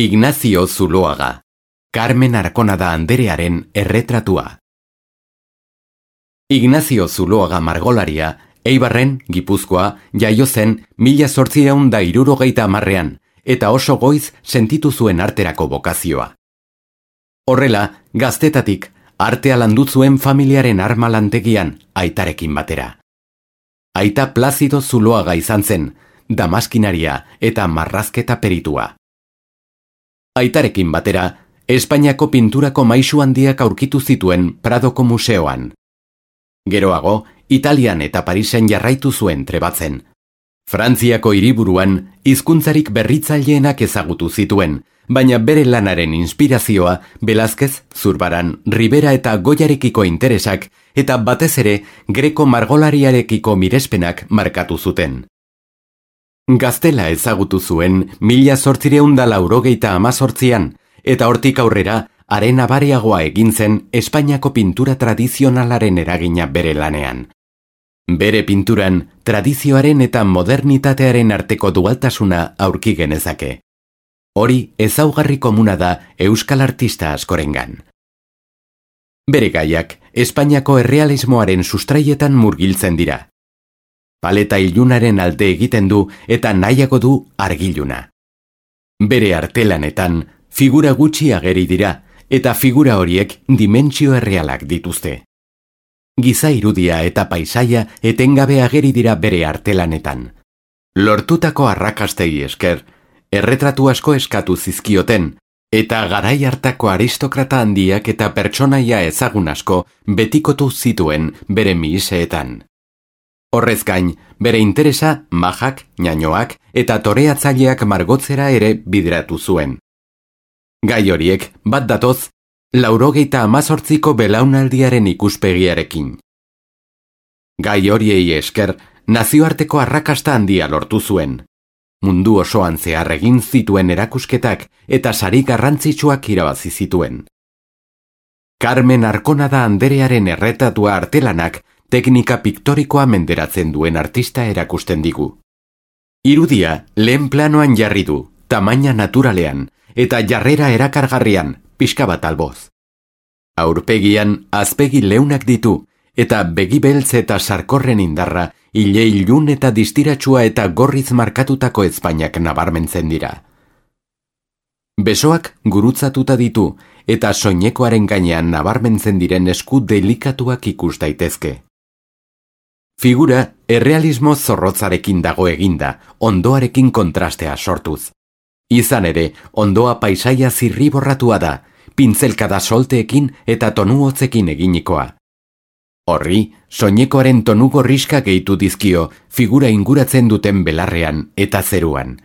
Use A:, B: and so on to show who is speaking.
A: Ignacio Zuloaga, Carmen Arconada Anderearen erretratua. Ignacio Zuloaga margolaria, Eibarren, Gipuzkoa, jaio zen 1870ean, eta oso goiz sentitu zuen arterako bokazioa. Horrela, gaztetatik, artea landu zuen familiaren arma lantegian, aitarekin batera. Aita Plazido Zuloaga izan zen, damaskinaria eta marrazketa peritua. Aitarekin batera, Espainiako pinturako maisu handiak aurkitu zituen Pradoko museoan. Geroago, Italian eta Parisen jarraitu zuen trebatzen. Frantziako hiriburuan hizkuntzarik berritzaileenak ezagutu zituen, baina bere lanaren inspirazioa Velázquez, Zurbaran, Ribera eta Goyarekiko interesak eta batez ere greko margolariarekiko mirespenak markatu zuten. Gaztela ezagutu zuen 1888an, eta hortik aurrera haren abariagoa egin zen Espainiako pintura tradizionalaren eragina bere lanean. Bere pinturan tradizioaren eta modernitatearen arteko dualtasuna aurki genezake. Hori ezaugarri komuna da euskal artista askorengan. Bere gaiak Espainiako errealismoaren sustraietan murgiltzen dira. Paleta ilunaren alde egiten du eta nahiago du argiluna. Bere artelanetan figura gutxi ageri dira eta figura horiek dimentsio errealak dituzte. Giza irudia eta paisaia etengabe ageri dira bere artelanetan. Lortutako arrakastei esker, erretratu asko eskatu zizkioten, eta garai hartako aristokrata handiak eta pertsonaia ezagun asko betikotu zituen bere mihiseetan. Horrez gain, bere interesa majak, ñañoak eta toreatzaileak margotzera ere bideratu zuen. Gai horiek bat datoz, 98ko belaunaldiaren ikuspegiarekin. Gai horiei esker, nazioarteko arrakasta handia lortu zuen. Mundu osoan zehar egin zituen erakusketak eta sari garrantzitsuak irabazi zituen. Carmen Arconada Anderearen erretratua artelanak teknika piktorikoa menderatzen duen artista erakusten digu. Irudia lehen planoan jarri du, tamaina naturalean, eta jarrera erakargarrian, pixka bat alboz. Aurpegian azpegi leunak ditu, eta begi beltz eta sarkorren indarra, ile ilun eta distiratsua eta gorriz markatutako ezpainak nabarmentzen dira. Besoak gurutzatuta ditu, eta soinekoaren gainean nabarmentzen diren esku delikatuak ikus daitezke. Figura errealismo zorrotzarekin dago eginda, ondoarekin kontrastea sortuz. Izan ere, ondoa paisaia zirriborratua da, pintzelkada solteekin eta tonu hotzekin eginikoa. Horri, soinekoaren tonu gorriska gehitu dizkio figura inguratzen duten belarrean eta zeruan.